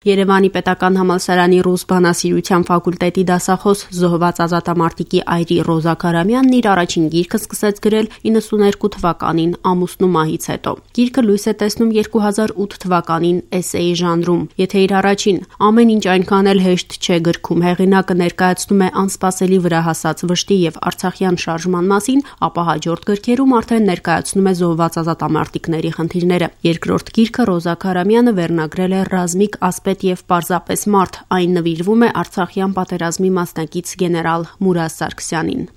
Երևանի պետական համալսարանի ռուս բանասիրության ֆակուլտետի դասախոս զոհված ազատամարտիկի այրի Ռոզա Քարամյանն իր առաջին գիրքը սկսեց գրել 92 թվականին ամուսնու մահից հետո։ Գիրքը լույս է տեսնում 2008 թվականին էսեի ժանրում։ Եթե իր առաջին «Ամեն ինչ այնքան էլ հեշտ չէ» գրքում հեղինակը ներկայացնում է անսպասելի վրա հասած վշտի եւ արցախյան շարժման մասին, ապա հաջորդ գրքերում արդեն ներկայացնում է զոհված ազատամարտիկների խնդիրները։ Երկրորդ գիրքը Ռոզա Քարամյանը վերնագրել է «Ռազմիկ ասպետ եւ պարզապես մարդ», այն նվիրվում է արցախյան պատերազմի մասնակից գեներալ Մուրազ Սարգսյանին։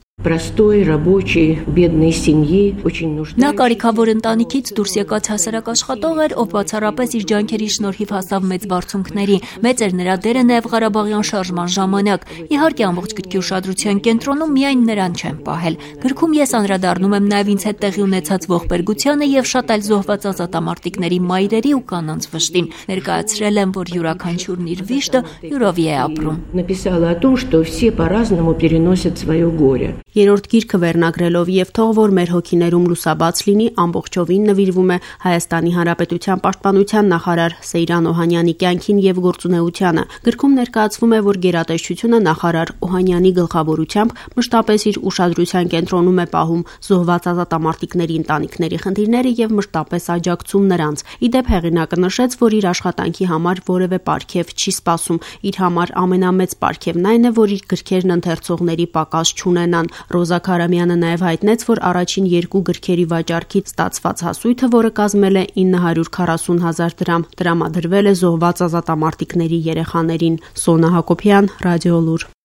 Նա կարիքավոր ընտանիքից դուրս եկած հասարակ աշխատող էր, ով բացառապես իր ջանքերի շնորհիվ հասավ մեծ բարձունքների։ Մեծ էր նրա դերը նաև Ղարաբաղյան շարժման ժամանակ։ Իհարկե ամբողջ գրքի ուշադրության կենտրոնում միայն նրան չեն պահել։ Գրքում ես անդրադառնում եմ նաև ինձ հետ տեղի ունեցած ողբերգությանը եւ շատ այլ զոհված ազատամարտիկների մայրերի ու կանանց վշտին։ Ներկայացրել եմ, որ յուրաքանչյուրն իր վիշտը յուրովի է ապրում։ Երրորդ գիրքը վերնագրելով եւ թող որ մեր հոգիներում լուսաբաց լինի ամբողջովին նվիրվում է Հայաստանի Հանրապետության պաշտպանության նախարար Սեյրան Օհանյանի կյանքին եւ գործունեությանը։ Գրքում ներկայացվում է, որ գերատեսչությունը նախարար Օհանյանի գլխավորությամբ մշտապես իր ուշադրության կենտրոնում է պահում զոհված ազատամարտիկների ընտանիքների խնդիրները եւ մշտապես աջակցում նրանց։ Իդեպ հեղինակը նշեց, որ իր աշխատանքի համար որևէ պարգև չի սպասում։ Իր համար ամենամեծ պարգևն այն է, որ իր գրքերն ընթերցողների պակաս չունենան։ Ռոզա Քարամյանը նաև հայտնեց, որ առաջին երկու գրքերի վաճառքից ստացված հասույթը, որը կազմել է 940,000 դրամ, տրամադրվել է զոհված ազատամարտիկների երեխաներին։ Սոնա Հակոբյան, Ռադիոլուր։